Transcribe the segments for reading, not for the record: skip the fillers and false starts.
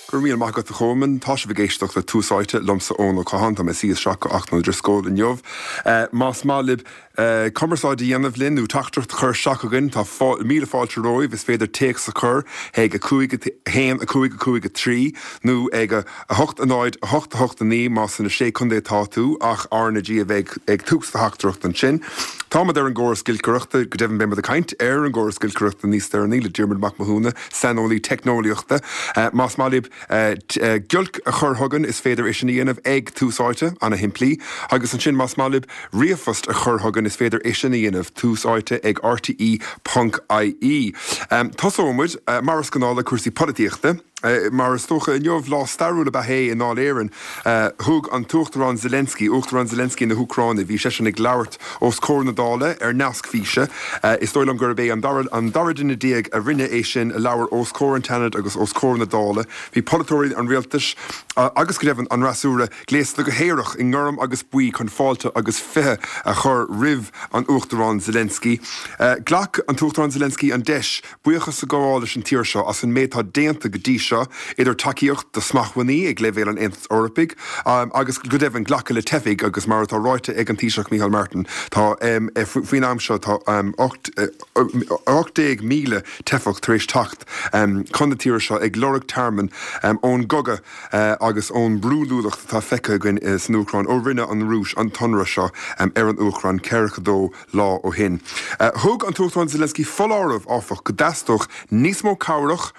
Go raibh míle maith agat a Cholmáin. Tá sibh ag éisteacht le Tús Áite, liomsa Eoin Ó Catháin. Tá mé ag suí isteach do Antaine Ó Drisceoil inniu. Más maith libh cumarsáid a dhéanamh linn nó teachtaireacht a chur isteach chugainn, tá míle fáilte romhaibh. Is féidir téacs a chur ag 5 1 5 5 3 nó ag 8 0 8 8 9 más sna Sé Contae atá tú, ach RnaG a bheidh ag tús do theachtaireachta ansin. Táimid ar an gcóras giolcaireachta, go deimhin beidh muid ag caint ar an gcóras giolcaireachta níos deireanaí le Diarmuid Mac Mathúna, saineolaí teicneolaíochta. Más maith libh giolc a chur chugainn is féidir é sin a dhéanamh ag Tús Áite, ana-shimplí. Agus ansin más maith libh ríomhphost a chur chugainn is féidir é sin a dhéanamh, Tús Áite ag rte ponc ie. Tosóidh muid, mar is gnáth, le cúrsaí polaitíochta. Mar is dócha, inniu, lá stairiúil ab ea é i nDáil Éireann. Thug an tUachtarán Zelensky, Uachtarán Zelensky na hÚcráine, bhí seisean ag labhairt os comhair na Dála ar nasc físe. Is dóigh liom gurb é an dara an dara duine a rinne é sin, a labhair os comhair an tSeanaid agus os comhair na Dála. Bhí polaiteoirí an rialtais agus, go deimhin, an fhreasúra gléasta go haerach i ngorm agus buí chun fáilte agus fiche a chur roimh an Uachtarán Zelensky. Ghlac an tUachtarán Zelensky an deis Buíochas a ghabháil leis an tír seo as an méid atá déanta go dtí seo, idir tacaíocht do smachtbhannaí ag leibhéal an Aontais Eorpaigh agus, go deimhin, glacadh le teifigh agus, mar atá ráite ag an Taoiseach Micheál Martin, tá faoin am seo tá 18,000 teifeach tar éis teacht chun na tíre seo ag lorg tearmainn ón gcogadh agus ón mbrúidiúlacht atá feicthe againn san Úcráin ó rinne an Rúis an t-ionradh seo ar an Úcráin 42 lá ó shin. Thug an tUachtarán Zelensky foláireamh, áfach, go dteastódh níos mó cabhrach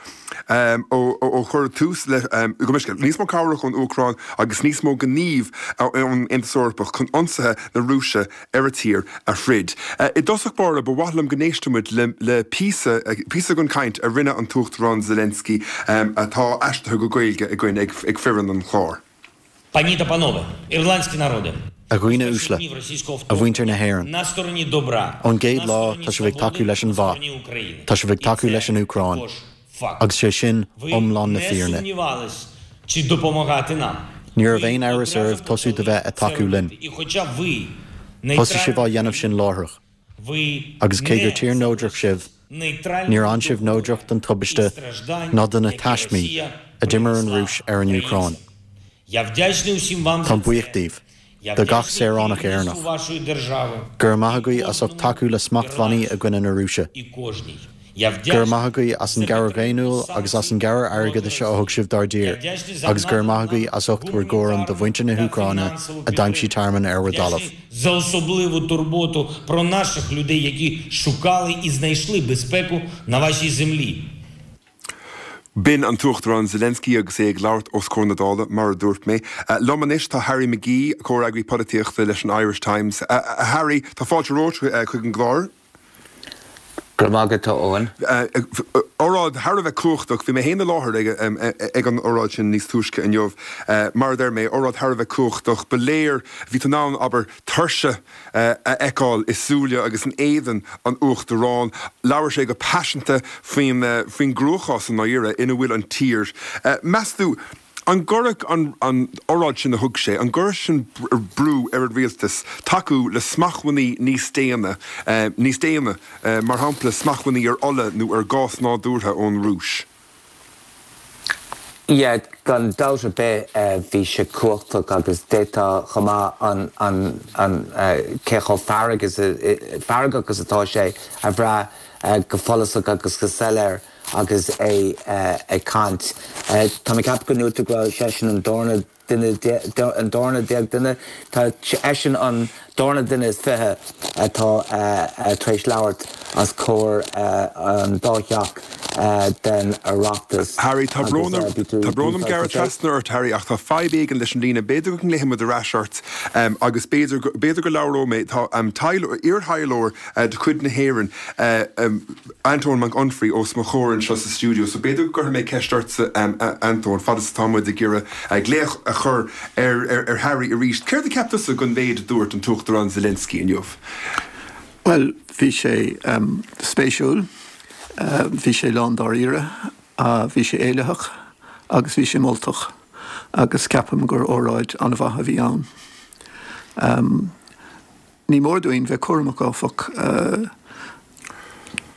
ó chuir tús le, gabh mo leithscéal, níos mó cabhrach ón Úcráin agus níos mó gnímh ón Aontas Eorpach chun ionsaithe na Rúise ar a tír a throid. I dtosach báire, ba mhaith liom go n-éistfeadh muid le píosa, píosa den chaint a rinne an tUachtarán Zelensky atá aistrithe go Gaeilge againn ag foireann an chláir. Пані та панове, ірландські народи. A dhaoine uaisle, a mhuintir na hÉireann, ón gcéad lá tá sibh ag tacú leis an mhaith, tá sibh ag tacú leis an Úcráin, agus sé sin iomlán na fírinne. Ní raibh aon amhras oraibh tosú de bheith ag tacú linn. Thosaigh sibh á dhéanamh sin láithreach. Agus cé gur tír neodrach sibh, níor fhan sibh neodrach don tubaiste ná do na taismí a d'imir an Rúis ar an Úcráin. Táim buíoch díbh, do gach saoránach Éireannach. Go raibh maith agaibh as ucht tacú le smachtbhannaí i gcoinne na Rúise. Go raibh maith agaibh as an gcabhair dhaonnúil agus as an gcabhair airgeadais a thug sibh dár dtír, agus go raibh maith agaibh as ucht bhur gcúram do mhuintir na hÚcráine a d'aimsigh tearmann ar bhur dtalamh. За особливу турботу про наших людей, які шукали і знайшли безпеку на вашій землі. B'in an tUachtarán Zelensky agus é ag labhairt os comhair na Dála, mar a dúirt mé. Liom anois tá Harry McGee, comhfhreagraí polaitíochta leis an Irish Times. A Harry, tá fáilte romhat chuig an gclár. Go raibh maith agat, a Eoin. Óráid thar a bheith cumhachtach. Bhí mé féin i láthair ag an óráid sin níos túisce inniu. Mar a deir mé, óráid thar a bheith cumhachtach. Ba léir, bhí tú in ann, abair, tuirse a fheiceáil i súile agus in éadan an Uachtaráin. Labhair sé go paiseanta faoin faoin gcruachás i ndáiríre ina bhfuil an tír. Meas tú, An gcuirfeadh an óráid sin a thug sé, an gcuirfeadh sin brú ar an rialtas tacú le smachtbhannaí níos déine, níos déine, mar shampla smachtbhannaí ar ola nó ar ghás nádúrtha ón Rúis? Yeah, gan dabht ar bith bhí sé cumhachtach agus d'fhéadfá chomh maith an, an, an, cé chomh fearg is, feargach is atá sé a bhrath go follasach agus go soiléir. agus é ag caint. Tá mé ag ceapadh go ndúirt tú go raibh seisean an darna duine, an darna déag duine, tá eisean an darna duine is 20 atá tar éis labhairt os comhair an dá theach den Oireachtas. Harry, tá brón orm, tá brón orm gearradh trasna ort, Harry, ach tá fadhb éigin leis an líne. B'fhéidir go nglaofaidh muid ar ais ort agus b'fhéidir, b'fhéidir go labhróidh mé, tá iar-thaidhleoir de chuid na hÉireann, Antóin Mac Unfraidh os mo chomhair anseo sa stiúideo, so b'fhéidir go gcuirfidh mé ceist ortsa, a Antóin, fad is atá muid ag iarraidh glaoch a chur ar Harry arís. Céard a cheap tusa den mhéid a dúirt an tUachtarán Zelensky inniu? Bhuel, bhí sé spéisiúil, bhí sé lán dáiríre, bhí sé éilitheach agus bhí sé moltach agus ceapaim gur óráid an-mhaith a bhí ann. Ní mór dúinn bheith cúramach, áfach,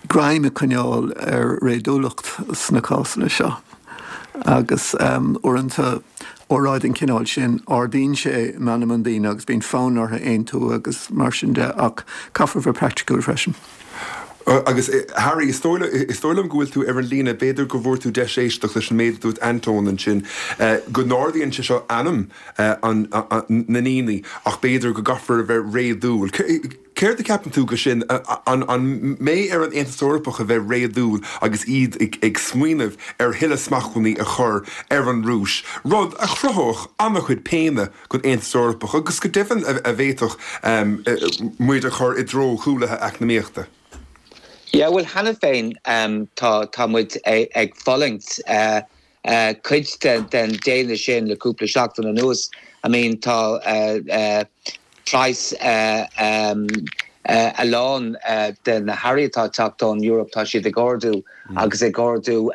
greim a choinneáil ar réadúlacht sna cásanna seo. Agus uaireanta, óráid den chineál sin, ardaíonn sé meanma na ndaoine agus bíonn fonn orthu aontú agus mar sin de, ach caithfear bheith praiticiúil freisin. Agus Harry, is dóigh is dóigh liom go bhfuil tú ar an líne, b'fhéidir go bhfuair tú deis éisteacht leis an méid a dúirt Antóin ansin, go n-ardaíonn sé seo anam na ndaoine ach b'fhéidir go gcaithfear a bheith réadúil. Céard a cheapann tú de sin? An mbeidh ar an Aontas Eorpach a bheith réadúil agus iad ag smaoineamh ar thuilleadh smachtbhannaí a chur ar an Rúis, rud a chruthódh an-chuid péine don Aontas Eorpach agus go deimhin a bhféadfadh muid a chur i dtreo chúlaithe eacnamaíochta? Yeah, bhuel cheana féin tá tá muid ag fulaingt cuid den déine sin le cúpla seachtain anuas. I mean tá praghas a lán de na hearraí atá ag teacht ón Eoraip, tá siad ag ardú agus ag ardú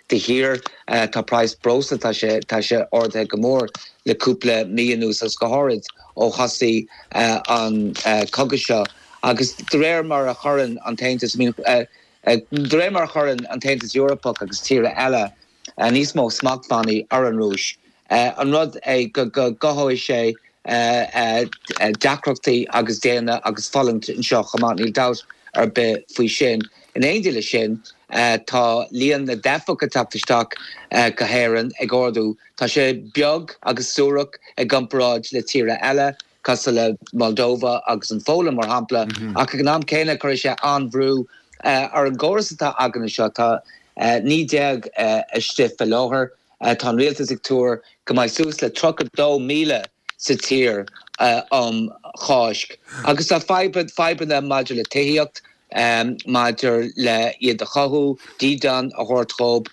de shíor. Tá praghas breosla, tá sé tá sé ardaithe go mór le cúpla mí anuas agus go háirid ó thosaigh an cogadh seo. Agus de réir mar a chuireann an tAontas, I mean, De réir mar a chuireann an tAontas Eorpach agus tíortha eile níos mó smachtbhannaí ar an Rúis, an rud é go gcothóidh sé deacrachtaí agus déine agus fulaingt anseo chomh maith, níl dabht ar bith faoi sin. In éindí leis sin, tá líon na dteifeach ag teacht isteach go hÉirinn ag ardú. Tá sé beag agus suarach i gcomparáid le tíortha eile. cosúil le Moldova agus an Pholainn, mar shampla, ach ag an am céanna cuirfidh sé an-bhrú ar an gcóras atá againn anseo. Tá 19,000 istigh faoi láthair. Tá an rialtas ag tuar go mbeidh suas le 32,000 sa tír um Cháisc. Agus tá fadhbanna maidir le tithíocht, maidir le iad a chothú, dídean a thabhairt dhóibh,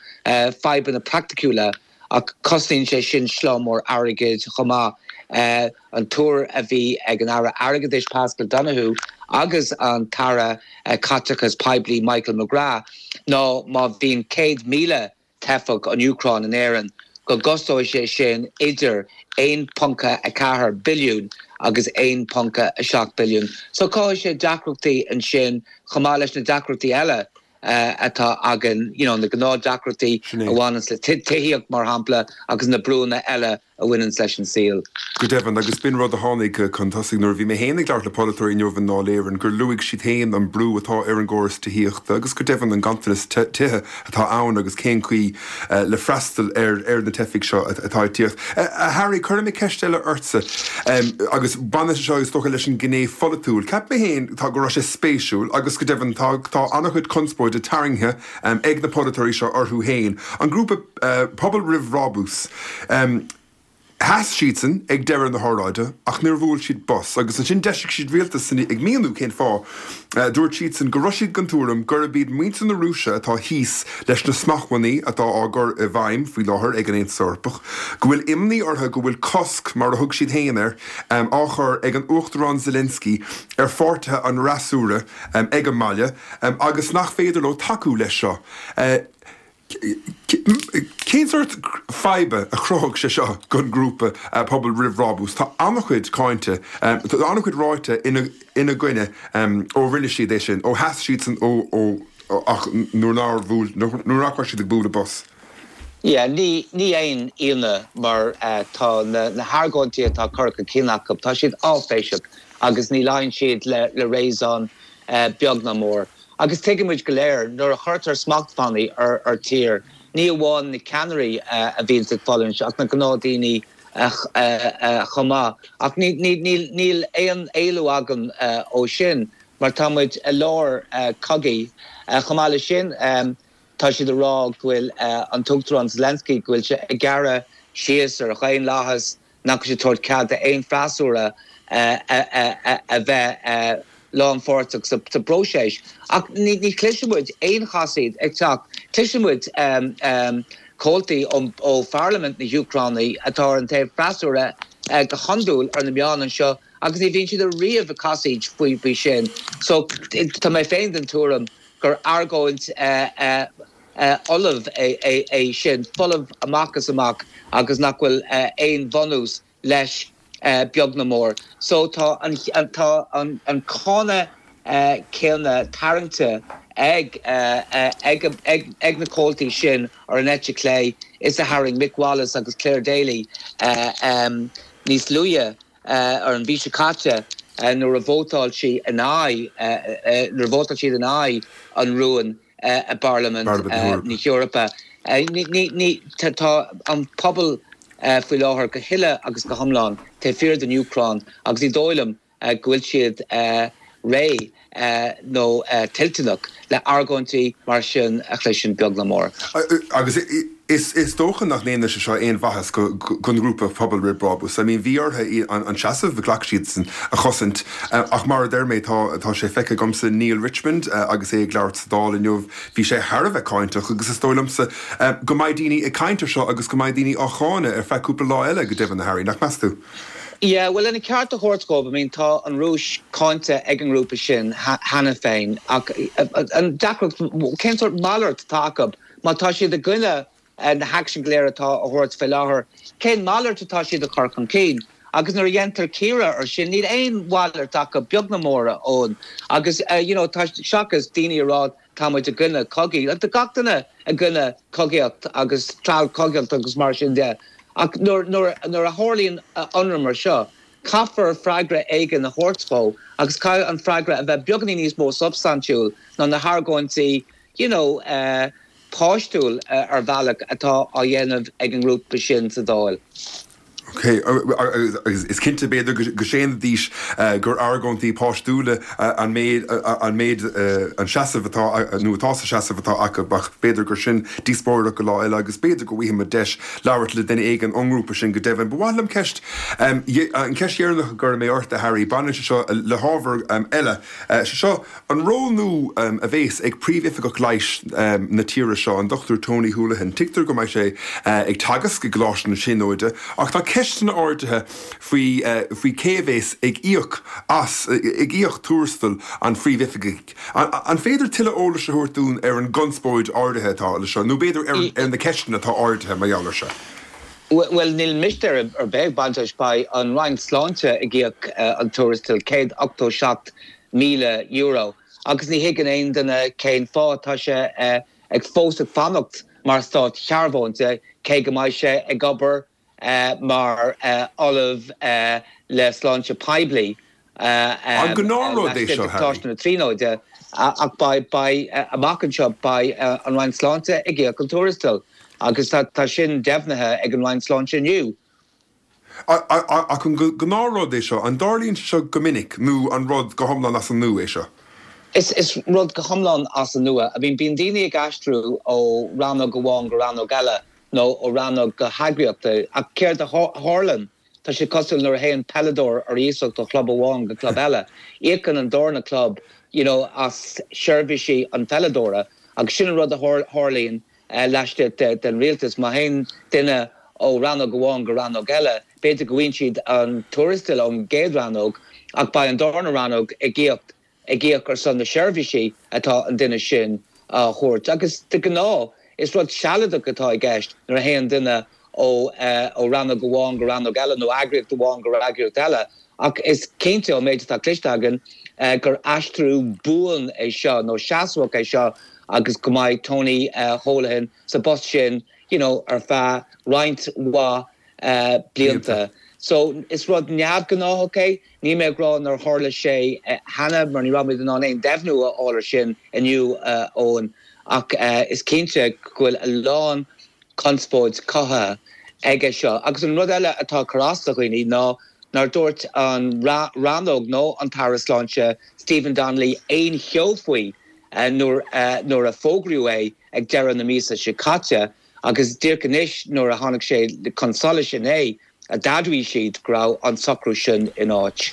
fadhbanna praiticiúla. Ach cosnaíonn sé sin slám mór airgid chomh maith. An tuar a bhí ag an Aire Airgeadais Paschal Donohoe agus an tAire Caiteachais Poiblí Michael McGrath ná má bhíonn 100,000 teifeach ón Úcráin in Éirinn go gcostóidh sé sin idir 1.4 billiún agus 1.7 billiún. So cothóidh sé deacrachtaí ansin chomh maith leis na deacrachtaí eile atá againn, you know, na gnáthdeacrachtaí a bhaineanns le tithíocht, mar shampla, agus na brúanna eile a bhaineanns leis an saol. Go deimhin, agus b'in rud a tháinig chun tosaigh nuair a bhí mé féin ag labhairt le polaiteoirí inniu i nDáil Éireann, gur luaigh siad féin an brú atá ar an gcóras tithíochta agus go deimhin an ganntanas tithe atá ann agus cén chaoi le freastal ar ar na teifigh seo atá ag tíocht. A Harry, cuirfidh mé ceist eile ortsa agus baineann sé seo is dócha leis an ngné pholaitiúil. Cheap mé féin tá go raibh sé spéisiúil agus go deimhin tá tá an-chuid conspóide tarraingthe ag na polaiteoirí seo orthu féin. An grúpa Pobal Roimh Bhrabús. Sheas siadsan ag deireadh na hóráide ach níor bhuail siad bos agus ansin d'eisigh siad ráiteas ag míniú cén fáth. Dúirt siadsan go raibh siad den tuairim gurb iad muintir na Rúise atá thíos leis na smachtbhannaí atá á gcur i bhfeidhm faoi láthair ag an Aontas Eorpach, go bhfuil imní orthu go bhfuil cosc, mar a thug siad féin air, á chur ag an Uachtarán Zelensky ar pháirtithe an fhreasúra ag an mbaile agus nach féidir leo tacú leis seo. Cén sórt faidhbe a chruthódh sé seo don ghrúpa Pobal Roimh Bhrabús? Tá an-chuid cáinte, tá an-chuid ráite ina gcoinne ó rinne siad é sin, ó sheas siadsan ó ach nuair nár bhuail, nuair nach raibh siad ag bualadh bos. Yeah, ní ní aon ionadh mar tá na hargóintí atá curtha chun cinn acu, tá siad áiféiseach agus ní luíonn siad le réasún beag ná mór. Agus tuigimid go léir, nuair a chuirtear smachtbhannaí ar thír, ní amháin na ceannairí a bhíonns ag fulaingt ach na gnáthdaoine chomh maith. Ach níl aon éalú againn ó sin mar tá muid i lár cogaidh. Chomh maith leis sin, tá siad ag rá go bhfuil an tUachtarán Zelensky, go bhfuil sé ag gearradh síos ar dhaonlathas, nach bhfuil sé ag tabhairt cead d'aon freasúra a bheith lánpháirteach sa bpróiseas. Ach ní chloiseann muid aon chasaoid ag teacht. Cloiseann muid comhaltaí ó Pharlaimint na hÚcráine atá ar an taobh freasúra go hiondúil ar na meáin anseo agus ní bhíonn siad ariamh ag casaoid faoi sin. So tá mé féin den tuairim gur argóint fholamh é sin, folamh amach is amach agus nach bhfuil aon bhunús leis beag ná mór. So tá an tá an cáineadh céanna tarraingte. ag ag na comhaltaí sin ar an eite chlé is a tharraing Mick Wallace agus Clare Daly níos luaithe ar an mhí seo caite nuair a vótáil sí in aghaidh nuair a vótáil siad in aghaidh an rúin i bParlaimint na hEorpa. Tá an pobal faoi láthair go huile agus go hiomlán taobh thiar den Úcráin agus ní dóigh liom go bhfuil siad réidh nó toilteanach le argóintí mar sin a chloisint beag ná mór. Agus is dócha nach ndéanfaidh sé seo aon mhaitheas don ghrúpa Pobal Roimh Bhrabús. I mean bhí orthu an seasamh a ghlac siadsan a chosaint ach mar a deir mé tá tá sé feicthe agamsa Neale Richmond agus é ag labhairt sa Dáil inniu bhí sé thar a bheith cáinteach agus is dóigh liomsa go mbeidh daoine ag caint ar seo agus go mbeidh daoine á cháineadh ar feadh cúpla lá eile go deimhin a Harry, nach meas tú? Yeah, bhuel, lena ceart a thabhairt dhóibh, I mean, tá an Rúis cáinte ag an ngrúpa sin cheana féin, ach an deacracht, cén sórt malairt atá acu? Má tá siad i gcoinne na haicsin go léir atá á thabhairt fé láthair, cén malairt atá siad a chur chun cinn? Agus nuair a dhéantar cíoradh ar sin, níl aon mhalairt acu, beag ná mór, a Eoin. Agus, you know, tá, seachas daoine a rá tá muid i gcoinne cogaidh, tá gach duine i gcoinne cogaíocht agus treallchogaíocht agus mar sin de. Ach nuair a tharlaíonn ionradh mar seo, caithfear freagra éigin a thabhairt dhó agus caithfidh an freagra a bheith beagáinín níos mó substaintiúil ná na hargóintí you know páistiúil ar bhealach atá á dhéanamh ag an ngrúpa sin sa Dáil. Ok, agus is cinnte, b'fhéidir, go séanfaidís gur argóintí páistiúla an méid, an méid, an seasamh atá, nó atá sa seasamh atá acu, ach b'fhéidir gur sin díospóireacht go lá eile agus b'fhéidir go bhfaighidh muid deis labhairt le duine éigin ón ngrúpa sin go deimhin. Ba mhaith liom ceist, an cheist dheireanach a gcuirfidh mé ort, a Harry, baineann sé seo le hábhar eile, sé seo, An ról nua a bhéas ag Príomhoifigeach Leighis na tíre seo, an Dr Tony Holohan, tuigtear go mbeidh sé ag teagasc i gColáiste na Tríonóide ach tá ceisteanna ardaithe faoi faoi cé a bhéas ag íoc as, ag íoc tuarastal an phríomhoifigigh. An féidir tuilleadh eolais a thabhairt dúinn ar an gconspóid áirithe atá le seo, nó b'fhéidir ar na ceisteanna atá ardaithe mar gheall ar seo? Bhuel, níl mistéir ar bith ag baint leis. Beidh an Roinn Sláinte ag íoc an tuarastail, €187,000, agus ní thuigeann aon duine cén fáth. Tá sé ag fós ag fanacht mar stát-shearbhónta, cé go mbeidh sé ag obair mar ollamh le sláinte poiblí An gnáthrud é laistigh seo, de Harry? Choláiste na Tríonóide. Ach beidh, beidh, amach anseo, beidh an Roinn Sláinte ag íoc an tuarastail agus tá sin deimhnithe ag an Roinn Sláinte inniu. Ach an gnáthrud é seo? An dtarlaíonn sé seo go minic nó an rud go hiomlán as an nua é seo? Is rud go hiomlán as an nua. I mean, bíonn daoine ag aistriú ó rannóg amháin go rannóg eile nó ó rannóg go heagraíocht ach céard a tharlann? Tá sé cosúil nuair a théann peileadóir ar iasacht ó chlub amháin go club eile. Íocann an darna club you know as seirbhísí an pheileadóra agus sin an rud a tharlaíonn laistigh den rialtas. Má théann duine ó rannóg amháin go rannóg eile, b'fhéidir go bhfaigheann siad an tuarastal ón gcéad rannóg ach beidh an darna rannóg ag íoc ag íoc ar son na seirbhísí atá an duine sin á thabhairt. Agus de ghnáth, is rud sealadach atá i gceist nuair a théann duine ó ó rannóg amháin go rannóg eile nó eagraíocht amháin go eagraíocht eile. Ach is cinnte, ón méid atá cloiste againn, gur aistriú buan é seo, nó seasmhach é seo agus go mbeidh Tony Holohan sa bpost sin you know ar feadh roinnt mhaith blianta. So, is rud neamhghnáthach é. Níl mé ag rá nár tharla sé cheana, mar ní raibh muid in ann aon deimhniú a fháil ar sin inniu, a Eoin, ach is cinnte go bhfuil a lán conspóid cothaithe aige seo. Agus an rud eile atá ag cur as do dhaoine ná nár dúirt an rannóg nó an tAire Sláinte Stephen Donnelly aon cheo faoi nuair a fógraíodh é ag deireadh na míosa seo caite. Agus díreach anois nuair a tháinig sé chun solais inné a d'admhaigh siad go raibh an socrú sin in áit.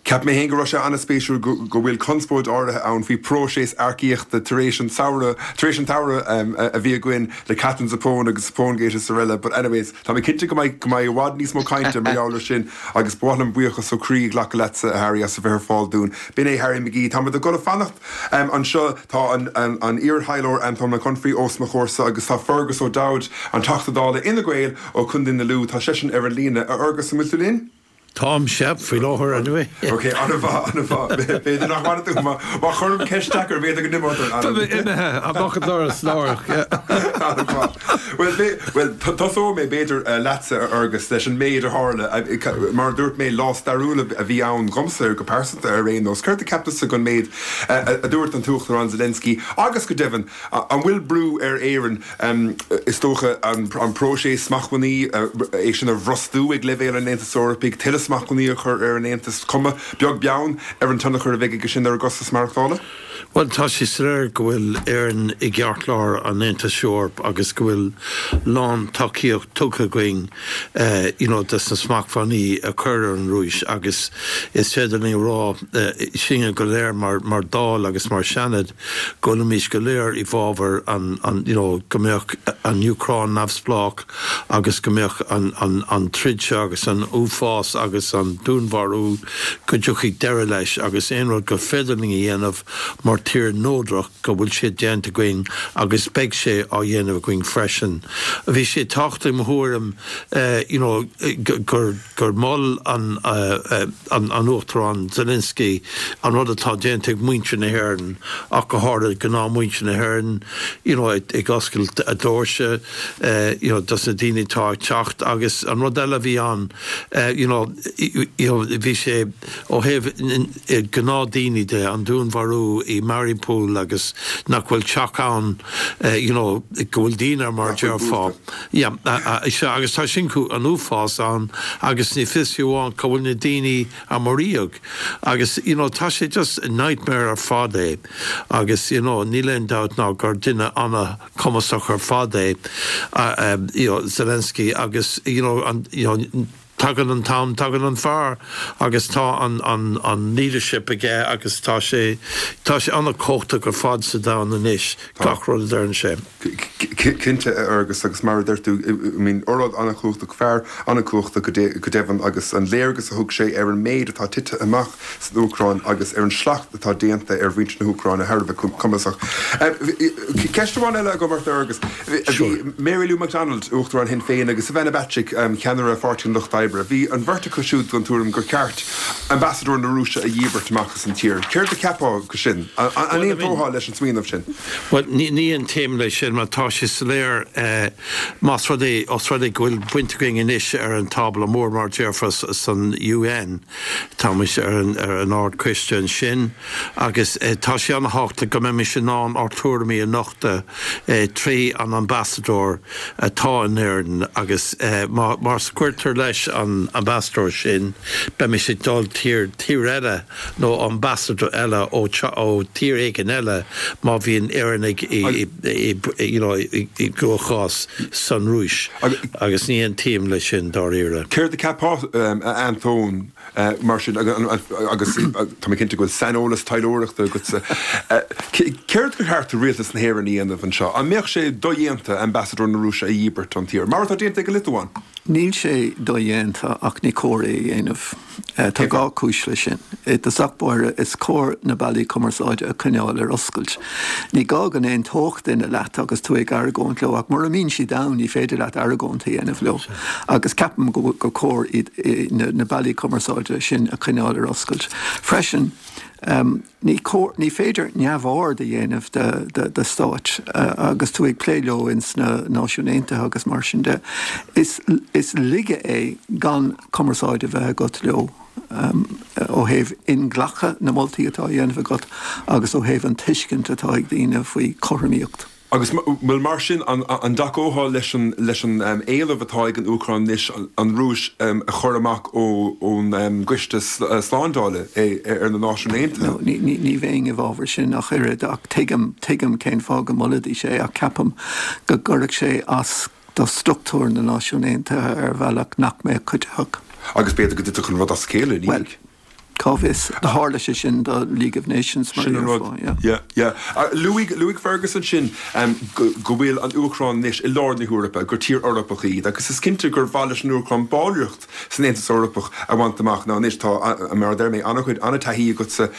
Cheap mé féin go raibh sé an-spéisiúil go bhfuil conspóid áirithe ann faoi próiseas earcaíochta tar éis an tsamhradh, tar éis an tsamhradh a bhí againn le Katherine Zappone agus Zapponegate is araile. But anyways, tá mé cinnte go mbeidh, go mbeidh i bhfad níos mó cainte mar gheall ar sin agus ba mhaith liom buíochas ó chroí a ghlacadh leatsa, a Harry, as a bheith ar fáil dúinn. B'in é Harry McGee. Táimid ag dul a fanacht anseo. Tá an iar-thaidhleoir Antóin Mac Unfraidh os mo chomhairsa agus tá Fergus O'Dowd, an Teachta Dála Fhine Gael ó Chontae na Lú, tá seisean ar an líne. A Fhergus, an bhfuil tú linn? Táim, sea, faoi láthair anyway. Ok, an-mhaith, an-mhaith. B'fhéidir nach bhfanfaidh tú, má chuirim ceist deacair, b'fhéidir go n-imeodh tú. Tá mé imithe amach an doras láithreach, yeah. An-mhaith. Bhuel, bhuel, tosóidh mé, b'fhéidir, leatsa, a Fhearghais, leis an méid a tharla. Mar a dúirt mé, lá stairiúil a bhí ann dhomsa, go pearsanta ar aon nós. Céard a cheap tusa den méid a dúirt an tUachtarán Zelensky agus, go deimhin, an bhfuil brú ar Éirinn Is dócha an próiseas smachtbhannaí, é sin a bhrostú ag leibhéal an Aontais Eorpaigh, tuilleadh smachtbhannaí a chur ar an Aontas, cuma beag beann ar an tionchar a bheidh aige sin ar an gcostas maireachtála. Bhuel, tá sé soiléir go bhfuil Éirinn i gceartlár an Aontais Eorpaigh agus go bhfuil lán-tacaíocht tugtha againn you know dos na smachtbhannaí a chur ar an Rúis agus is féidir linn a rá sinne go léir mar mar Dáil agus mar Seanad go bhfuilimid go léir i bhfabhar an, an, you know, go mbeadh an Úcráin neamhspleách agus go mbeadh an, an, an troid seo agus an uafás agus an dúnmharú, go dtiocfaidh deireadh leis agus aon rud gur féidir linn a dhéanamh mar tír neodrach go bhfuil sé déanta againn agus beidh sé á dhéanamh againn freisin. Bhí sé tábhachtach i mo thuairim, you know, gur. gur mhol an an Uachtarán Zelensky an rud atá déanta ag muintir na hÉireann ach go háirithe gnáthmhuintir na hÉireann you know ag oscailt a doirse you know dos na daoine atá ag teacht agus an rud eile a bhí ann you know you know bhí sé ó thaobh gnáthdhaoine de an dúnmharú i Mariupol agus nach bhfuil teach ann you know go bhfuil daoine mar a déarfá Yeah, sea, agus tá sin an uafás ann agus ní fios fiú amháin cá bhfuil na daoine a maraíodh agus you know tá sé just nightmare ar fad é agus you know níl aon dabht ná gur duine an-chumasach ar fad é you know Zelensky agus you know an you know Tagann an t-am, tagann an fear agus tá an, an, an leadership aige agus tá sé, tá sé an-chumhachtach ar fad sa domhan anois, gach rud a deireann sé. Cinnte, a Fhearghais, agus mar a deir tú, I mean, óráid an-chumhachtach, fear an-chumhachtach go deimhin agus an léargas a thug sé ar an méid atá tite amach san Úcráin agus ar an slacht atá déanta ar mhuintir na hÚcráine thar a bheith cumasach. Ceist amháin eile agam ort, a Fhearghais. Bhí Mary Lou McDonald, Uachtarán Shinn Féin, agus Ivana Bacik, ceannaire Pháirtí an Lucht Oibre, bhí an bheirt acu siúd den tuairim gur cheart ambasadóir na Rúise a dhíbirt amach as an tír. Céard a cheapfá de sin? An aontófá leis an smaoineamh sin? Bhuel, ní aontaím leis sin mar tá sé soiléir, más rud é, os rud é go bhfuil baint againn anois ar an tábla mór, mar a déarfá, san UN, Táimid ar an ar an Ard-Choiste ansin agus tá sé an-thábhachtach go mbeimis in ann ár tuairimí a nochtadh trí an ambasadóir atá in Éirinn agus má má scoirtear leis an ambasadóir sin beimis ag dul tír tír eile nó ambasadóir eile ó ó tír éigin eile má bhíonn Éireannaigh i i you know i gcruachás san Rúis agus ní aontaím leis sin dáiríre. Céard a cheapfá, a Antóin, mar sin, agus tá mé cinnte go bhfuil saineolas taidhleoireachta agatsa, céard gur cheart do rialtas na hÉireann a dhéanamh anseo? An mbeadh sé dodhéanta ambasadóir na Rúise a dhíbirt ón tír, mar atá déanta ag an Liotuáin? Níl sé dodhéanta ach ní cóir é a dhéanamh. Tá dhá chúis leis sin. I dtosach báire, is cóir na bealaí cumarsáide a choinneáil ar oscailt. Ní gá go n-aontódh duine leat agus tú ag argóint leo ach mura mbíonn siad ann ní féidir leat argóint a dhéanamh leo. Agus ceapaim go gur cóir na bealaí cumarsáide sin a choinneáil ar oscailt. Freisin, Ní cóir, ní féidir neamhaird a dhéanamh de stáit agus tú ag plé leo ins na Náisiúin Aontaithe agus mar sin de. Is laige é gan cumarsáid a bheith agat leo ó thaobh inghlactha na moltaí atá á dhéanamh agat agus ó thaobh an tuiscint atá ag daoine faoi chothromaíocht. Agus, bhuel, mar sin, an dtacófá leis an leis an éileamh atá ag an Úcráin anois an Rúis a chur amach ón gCoiste Slándála ar na Náisiúin Aontaithe? No, ní bheinn i bhfabhar sin ach oiread, ach tuigim, tuigim cén fáth go molfaidís é, ach ceapaim go gcuirfeadh sé as do struchtúr na Náisiún Aontaithe ar bhealach nach mbeadh cuiditheach. Agus b'fhéidir go dtitfeadh an rud as a chéile ina dhiaidh. Cá bhfios? Tharla sé sin do League of Nations mar a déarfá, yeah. Yeah, yeah. Luaigh, luaigh Fergus ansin go, go bhfuil an Úcráin anois i lár na hEorpa, gur tír Eorpach iad, agus is cinnte gur mhaith leis an Úcráin ballraíocht san Aontas Eorpach a bhaint amach. Now anois tá, mar a deir mé, an-chuid, an-taithí agatsa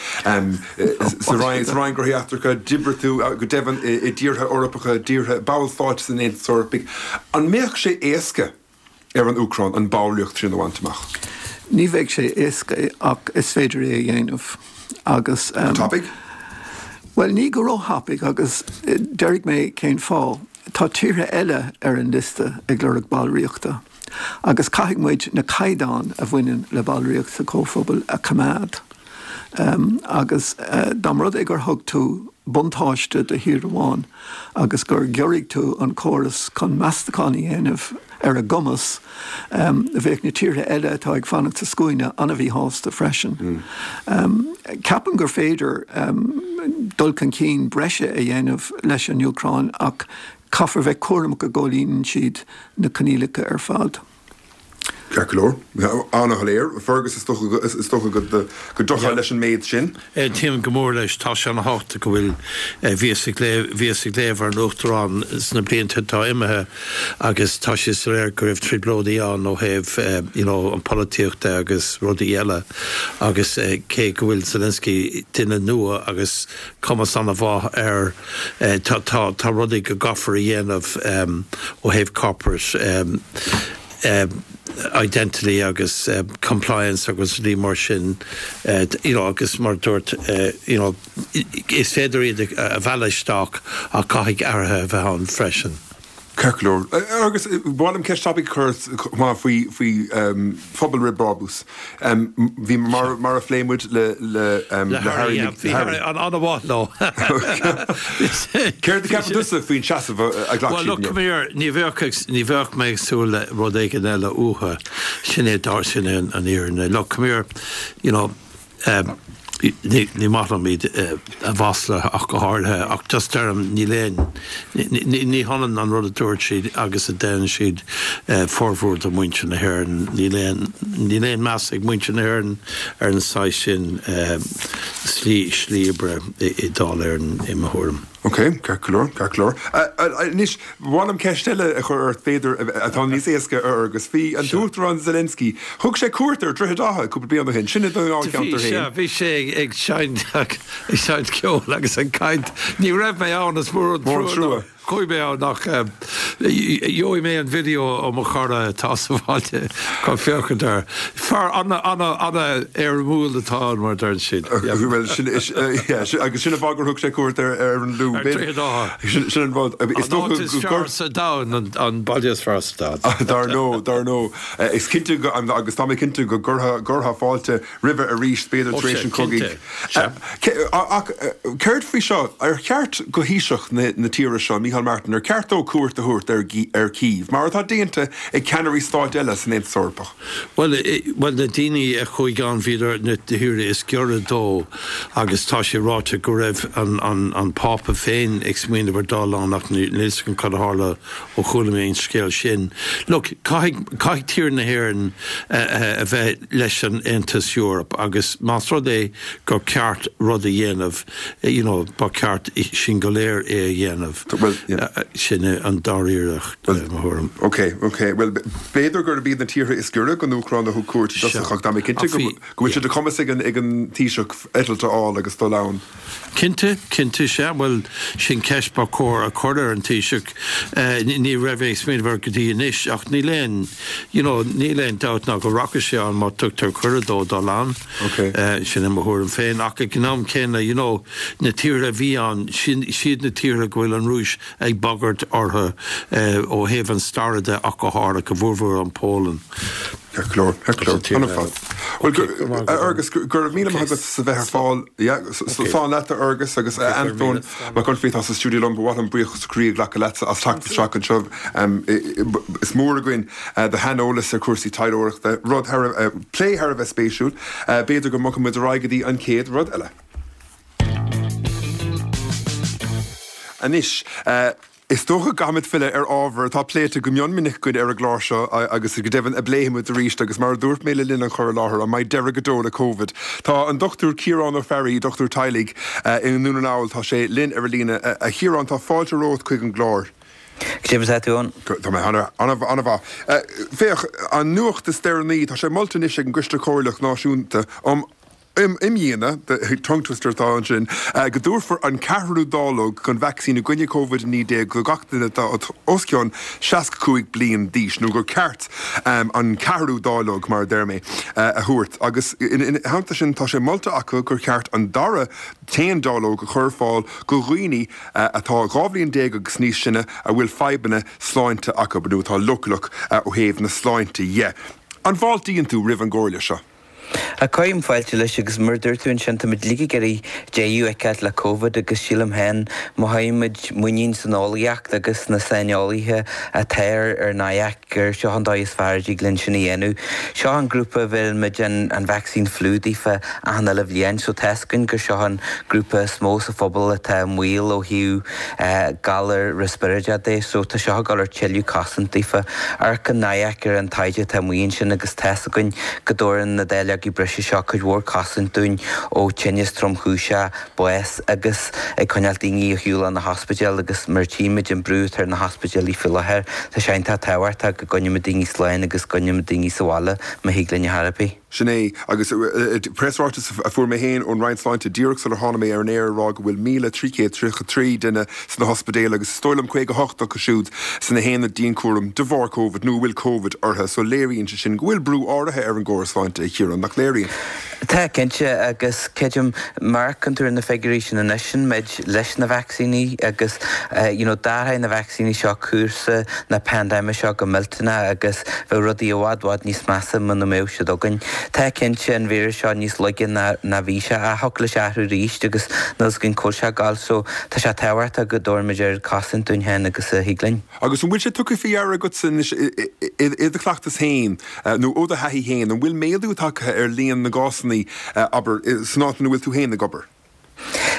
sa Roinn, sa Roinn Gnóthaí Eachtracha, d'oibrigh tú go deimhin i, i dtíortha Eorpacha, dtíortha, ballstáit san Aontas Eorpaigh. An mbeadh sé éasca ar an Úcráin an ballraíocht sin a bhaint amach? Ní bheidh sé éasca ach is féidir é a dhéanamh agus. Go tapaidh? Bhuel, ní go róthapaidh agus déarfaidh mé cén fáth. Tá tíortha eile ar an liosta ag lorg ballraíochta agus caithfidh muid na caighdeáin a bhaineann le ballraíocht sa Chomhphobal a choimeád. Agus dá mba rud é gur thug tú buntáiste do thír amháin agus gur ghiorraigh tú an córas chun meastachán a dhéanamh ar a gcumas, bheadh na tíortha eile atá ag fanacht sa scuaine an-mhíshásta freisin. Ceapaim gur féidir dul chun cinn breise a dhéanamh leis an Úcráin ach caithfear bheith cúramach go gcomhlíonann siad na coinníollacha ar fad. Ceart go leor. An-shoiléir. Fergus, is dócha go dtiocfá leis an méid sin. Aontaím go mór leis. Tá sé ana-thábhachtach go bhfuil, bhíos ag léamh, bhíos ag léamh ar an Uachtarán sna blianta atá imithe agus tá sé soiléir go raibh trioblóidí ann ó thaobh you know an polaitíocht de agus rudaí eile agus cé go bhfuil Zelensky duine nua agus cumas ana-mhaith air tá, tá, tá rudaí go gcaithfear a dhéanamh ó thaobh corporate identity agus compliance agus rudaí mar sin you know agus mar a dúirt you know is féidir iad a mhealladh isteach ach caithfidh athruithe a bheith ann freisin. Ceart go leor. Agus ba mhaith liom ceist tapaidh a chur chomh maith faoi faoi phobal fhrith-bhrabús. Bhí mar mar a phléigh muid le le le Harry Bhí Harry an-mhaith leo. Céard a cheapann tusa faoin seasamh a ghlac siad inniu? Well look, come here, ní bheadh ní bheadh mé ag súil le rud éigin eile uathu. Sin é dar sin é an fhírinne. Look, come here, you know, Ní maith liom iad a mhaslú ach go háirithe, ach just deirim, níl aon, ní hionann an rud a dúirt siad agus a déanann siad formhór de mhuintir na hÉireann. Níl aon, níl aon meas ag muintir na hÉireann ar an saghas sin slí, slí oibre i Dáil Éireann i mo thuairim. Ok, ceart go leor, ceart go leor. Anois, ba mhaith liom ceist eile a chur ort, b'fhéidir, atá níos éasca, a Fhergus. Bhí an tUachtarán Zelensky, thug sé cuairt ar Dhroichead Átha cúpla bliain ó shin, sin i do dháilcheantar féin. Bhí, sea, bhí sé ag seinnt, ag seinnt ceoil agus ag caint. Ní raibh mé ann, is mór an trua nár chuaigh mé ann ach gheobhaidh mé an video ó mo chara atá sa bhaile chun féachaint air. Fear an-éirimiúil atá ann, mar a deireann siad. Bhuel, sin, yeah, agus sin an fáth gur thug sé cuairt ar an Lú. Ar Dhroichead Átha. Sin an rud. Is dócha An áit is fearr sa domhan, an baile is fearr sa domhan. Dar ndóigh, dar ndóigh. Is cinnte go, agus tá mé cinnte go gcuirfeá fáilte roimhe arís, b'fhéidir tar éis an chogaidh. Ach céard faoi seo? Ar cheart do Thaoiseach na tíre seo, Micheál Martin, ar cheart dó cuairt a thabhairt ar Kyiv, mar atá déanta ag ceannairí stáit eile san Aontas Eorpach? Bhuel, bhuel, na daoine a chuaigh ann, bhíodar na tíortha is giorra dó agus tá sé ráite go raibh an, an, an Pápa féin ag smaoineamh ar dul ann ach níl fhios agam cad a tharla ó chuala mé an scéal sin. Look, caithfidh, caithfidh tír na hÉireann a bheith leis an Aontas Eorpach agus más rud é gur ceart rud a dhéanamh, you know, ba cheart sinn go léir é a dhéanamh. Bhuel, yeah. Sin é an dáiríreacht, i mo thuairim. Ok, ok. Bhuel, b'fhéidir gurb iad na tíortha is giorra don Úcráin a thug cuairt i dtosach ach tá mé cinnte go bhfuil sé de chumas ag an ag an Taoiseach eitilt a fháil agus dul ann. Cinnte, cinnte, sea. Bhuel, sin ceist ba chóir a chur ar an Taoiseach. Ní raibh mé ag smaoineamh air go dtí anois ach níl aon, you know, níl aon dabht ná go rachaidh sé ann má tugtar cuireadh dó dul ann. Ok. Sin é mo thuairim féin. Ach ag an am céanna, you know, na tíortha a bhí ann, sin siad na tíortha go bhfuil an Rúis ag bagairt orthu ó thaobh an staire de ach go háirithe, go mhórmhór an Pholainn. Ceart go leor, ceart go leor. An-mhaith. Bhuel, a Fhergus, go raibh míle maith agat as a bheith ar fáil. Yeah, slán leat a Fhergus agus a Antóin Mac Unfraidh atá sa stiúideo liom, ba mhaith liom buíochas ó chroí a ghlacadh leatsa as teacht isteach anseo. Is mór againn do shaineolas ar chúrsaí taidhleoireachta, rud thar a, plé thar a bheith spéisiúil. B'fhéidir go mbogfaidh muid ar aghaidh go dtí an chéad rud eile. Anois, is dócha go gcaithfimid filleadh ar ábhar atá pléite go mion minic againn ar an gclár seo agus go deimhin a bpléifimid arís agus mar a dúirt mé le linn an chur i láthair, an mbeidh deireadh go deo le Covid? Tá an Dr Ciarán Ó Fearraigh, dochtúir teaghlaigh i nDún na nGall, tá sé linn ar an líne. A Chiaráin, tá fáilte romhat chuig an gclár. Cad é mar atá tú, Eoin? Tá mé an-mhaith. Féach, an nuacht is deireanaí, tá sé molta anois ag an gCoiste Comhairleach Náisiúnta um. Imdhíonadh, tongue twister atá ansin, go dtabharfar an ceathrú dáileog den vacsaín i gcoinne Covid-19 do gach duine atá os cionn 65 bliain d'aois, nó gur ceart an ceathrú dáileog, mar a deir mé, a thabhairt. Agus ina theannta sin, tá sé molta acu gur cheart an dara t-aon dáileog a chur ar fáil do dhaoine atá 12 bhliain agus níos sine a bhfuil fadhbanna sláinte acu, nó atá leochaileach ó thaobh na sláinte dhe. An bhfáiltíonn tú roimh an gcomhairle seo? Cuirim fáilte leis agus mar a dúirt tú ansin, táimid uilig ag iarraidh deireadh a fheiceáil le Covid agus sílim féin má chuireann muid muinín san eolaíocht agus sna saineolaithe atá ar ar NIAC gur seo an dóigh is fearr a dtig linn sin a dhéanamh. Seo an grúpa a bheireann muid an vacsaín fliú daofa achan uile bhliain so tá's againn gur seo an grúpa is mó sa phobal atá i mbaol ó thaobh galar riospráide de so tá seo ag dul a thabhairt tuilleadh cosaint daofa. Amharcann NIAC ar an taighde atá amuigh ansin agus tá's againn go dtabharann na dáileogaí breise seo cuid mhór cosaint dúinn ó tinneas tromchúiseach, bás agus ag coinneáil daoine ar shiúl ó na hospidéil agus mar tchímid an brú atá ar na hospidéalaí faoi láthair tá sé iontach tábhachtach go gcoinneoimid daoine slán agus go gcoinneoimid daoine sa bhaile má thig linn ar chor ar bith. Sin é. Agus preasráiteas a fuair mé féin ón Roinn Sláinte díreach sular tháinig mé ar an aer ag rá go bhfuil 1,333 duine sna hospidéil agus is dóigh liom 58 acu siúd sna haonaid dianchúraim de bharr Covid nó a bhfuil Covid orthu. So léiríonn sé sin go bhfuil brú áirithe ar an gcóras sláinte, a Chiaráin, nach léiríonn? Tá, cinnte, agus creidim má amharcann tú ar na figiúirí sin anois, sin muid leis na vacsaíní agus you know d'athraigh na vacsaíní seo cúrsa na paindéime seo go millteanach agus bheadh rudaí i bhfad bhfad níos measa muna mbeadh siad againn. Tá cinnte an víreas seo níos laige ná ná bhí sé ach thiocfadh leis athrú arís agus níl 'fhios againn cá bhfuil sé ag gabháil so tá sé tábhachtach go dtabharfaimid oiread cosaint dúinn féin agus a thig linn. Agus an bhfuil sé tugtha faoi deara agatsa anois i do chleachtas féin nó ó do thaithí féin, an bhfuil méadú tagtha ar líon na gcásanna, abair, san áit ina bhfuil tú féin ag obair?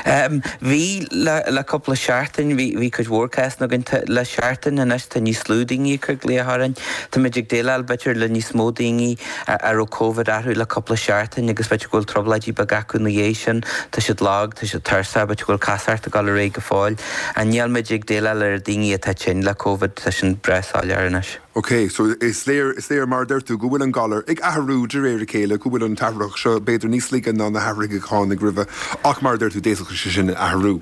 Bhí, le cúpla seachtain, bhí cuid mhór cásanna againn. Le seachtain anois tá níos lú daoine ag cur glaoch orainn. Táimid ag déileáil b'fhéidir le níos mó daoine a raibh Covid orthu le cúpla seachtain agus b'fhéidir go bhfuil trioblóidí beaga acu ina dhiaidh sin. Tá siad lag, tá siad tuirseach, b'fhéidir go bhfuil casacht ag dul ar aghaidh go fóill. Níl muid ag déileáil le daoine atá tinn le Covid, tá sin breá soiléir anois. Ok, so is léir, is léir mar a deir tú go bhfuil an galar ag athrú de réir a chéile, go bhfuil an t-athraitheach seo b'fhéidir níos laige ná na hathruithe a tháinig roimhe ach mar a deir tú d'fhéadfadh sé sin athrú.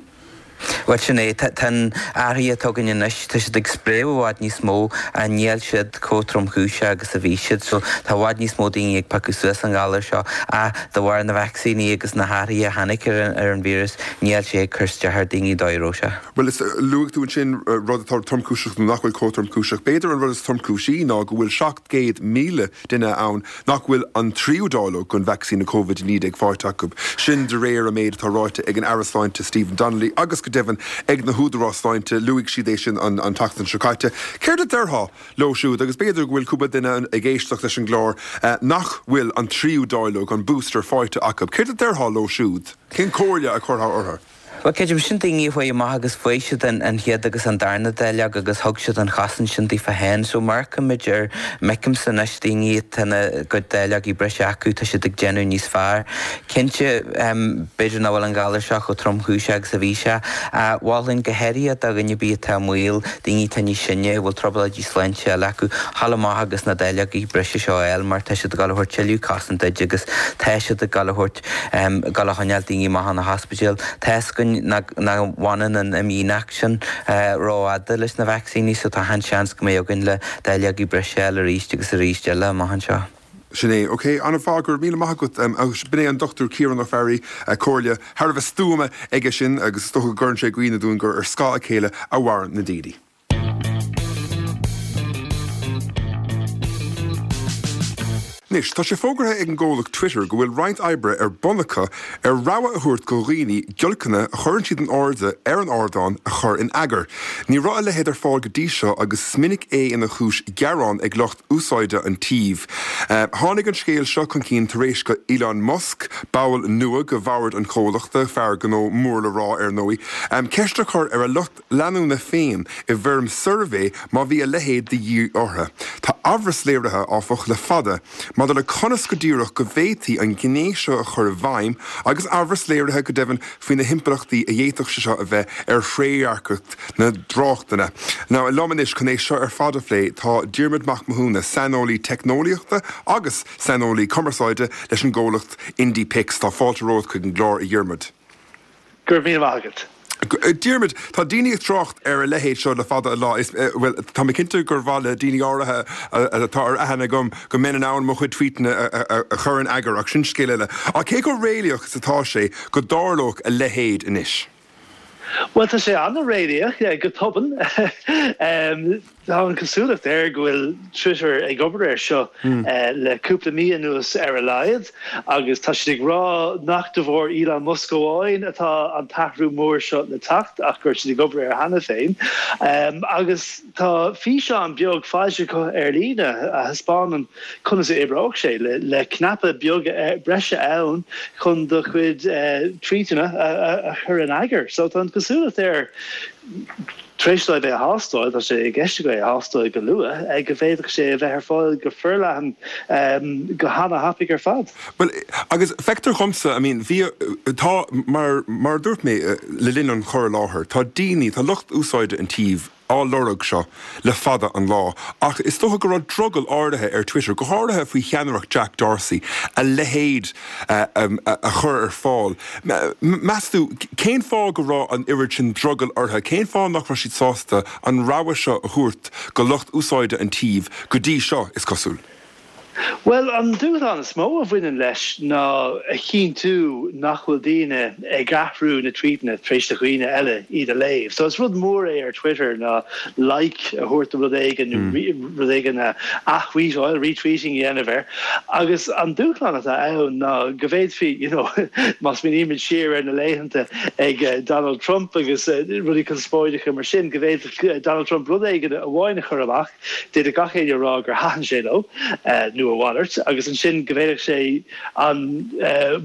Bhuel sin é, tá an athruithe atá againn anois, tá siad ag spréadh i bhfad níos mó ach níl siad chomh tromchúiseach agus a bhí siad so tá i bhfad níos mó daoine ag piocadh suas an ghalar seo ach de bharr na vacsaíní agus na hathruithe a tháinig ar an víreas níl sé ag cur isteach ar daoine dóigh a raibh sé. Bhuel, is, luaigh tú ansin rud atá tromchúiseach nó nach bhfuil chomh tromchúiseach. B'fhéidir an rud is tromchúisí ná go bhfuil 700,000 duine ann nach bhfuil an tríú dáileog den vacsaín Covid-19 faighte acu. Sin de réir an méid atá ráite ag an Aire Sláinte Stephen Donnelly agus go deimhin ag na húdaráis sláinte. Luaigh siad é sin an tseachtain seo caite. Céard a déarfá leo siúd, agus b'fhéidir go bhfuil cúpla duine ag éisteacht leis an gclár nach bhfuil an tríú dáileog, an booster, faighte acu. Céard a déarfá leo siúd? Cén chomhairle a chuirfeá orthu? Bhuel, creidim, sin daoine a chuaigh amach agus fuair siad an chéad agus an darna dáileog agus thug siad an chosaint sin daofa féin. So má amharcaimid ar, m'fheicimse anois daoine atá na gcuid dáileogaí breise acu, tá siad ag déanamh níos fearr. Cinnte, b'fhéidir nach bhfuil an galar seo chomh tromchúiseach agus a bhí sé. Ach mholfainn go háirithe do dhuine ar bith atá i mbaol, daoine atá níos sine, a bhfuil trioblóidí sláinte eile acu, dhul amach agus na dáileogaí breise seo a fháil mar tá siad ag dul a thabhairt tuilleadh cosaint duit agus tá siad ag dul a thabhairt ag dul a choinneáil daoine amach ó na hospidéil. Tá's againn nach bhfanann an imdhíonacht sin rófhada leis na vacsaíní so tá an-seans go mbeidh againn le dáileogaí breise a fháil arís agus arís eile amach anseo. Sin é. Ok, an-mhaith, go raibh míle maith agat. B'in é an Dr Ciarán Ó Fearraigh, comhairle thar a bheith stuama aige sin agus is dócha go gcuireann sé i gcuimhne dúinn gur ar scáth a chéile a mhaireann na daoine. Anois, tá sé fógartha ag an gcomhlacht Twitter go bhfuil roinnt oibre ar bun acu ar rogha a thabhairt do dhaoine giolcanna a chuireann siad in airde ar an ardán a chur in eagar. Ní raibh a leithéid ar fáil go dtí seo agus is minic é ina chúis gearán ag lucht úsáide an tsuímh. Tháinig an scéal seo chun cinn tar éis do Elon Musk, ball nua de bhord an chomhlachta, fear gnó mór le rá ar ndóigh, ceist a chur ar a lucht leanúna féin i bhfoirm suirbhé má bhí a leithéid de dhíth orthu. Tá amhras léirithe, áfach, le fada maidir le conas go díreach go bhféadfaí an ghné seo a chur i bhfeidhm agus amhras léirithe go deimhin faoi na himpleachtaí a d'fhéadfadh sé seo a bheith ar thrédhearcacht na dtráchtanna. Now, liom anois chun é seo ar fad a phlé tá Diarmuid Mac Mathúna, saineolaí teicneolaíochta agus saineolaí cumarsáide leis an gcomhlacht Indie Pix. Tá fáilte romhat chuig an gclár, a Dhiarmuid. Go raibh míle maith agat. Diarmuid, tá daoine ag trácht ar a leithéid seo le fada an lá. Is, bhuel, tá mé cinnte gur mhaith le daoine áirithe atá ar aithne agam go mbeinn in ann mo chuid tweetanna a chur in eagar, ach sin scéal eile. Ach cé chomh réalaíoch is atá sé go dtarlódh a leithéid anois? Bhuel, tá sé an-réalaíoch, go tobann. Tá an chosúlacht air go bhfuil Twitter ag obair air seo le cúpla mí anuas ar a laghad agus tá siad ag rá nach de bharr Elon Musk amháin atá an t-athrú mór seo le teacht ach go raibh siad ag obair air cheana féin. Agus tá físeán beag foilsithe acu ar líne a thaispeánann conas a oibreoidh sé, le cnaipe beag breise ann chun do chuid tweetanna a chur in eagar. So tá an chosúlacht air, tar éis dóibh é a thástáil, tá sé i gceist acu é a thástáil go luath, go bhféadfadh sé a bheith ar fáil go forleathan go hana-thapaidh ar fad. Bhuel, agus feictear dhomsa, I mean, bhí, tá, mar, mar a dúirt mé le linn an chur i láthair, tá daoine, tá lucht úsáide an tsuímh, á lorg seo le fada an lá, ach is dócha go raibh drogall áirithe ar Twitter, go háirithe faoi cheannaireacht Jack Dorsey, a leithéid a chur ar fáil. Meas tú, cén fáth go raibh an oiread sin drogaill orthu? Cén fáth nach raibh siad sásta an rogha seo a thabhairt go lucht úsáide an tsuímh go dtí seo, is cosúil? Bhuel, an dúshlán is mó a bhaineann leis ná a chinntiú nach bhfuil daoine ag athrú na tweetanna tar éis do dhaoine eile iad a léamh. So is rud mór é ar Twitter ná like a thabhairt do rud éigin nó rud éigin a ath-thweetáil, retweeting a dhéanamh air. Agus an dúshlán atá ann ná go bhféadfaí, you know, má smaoinímid siar ar na laethanta ag Donald Trump agus rudaí conspóideacha mar sin, go bhféadfadh Donald Trump rud éigin amháin a chur amach, D'fhéadfadh gach éinne a rá gur thaitin sé leo, nó a mhalairt, agus ansin go bhféadfadh sé an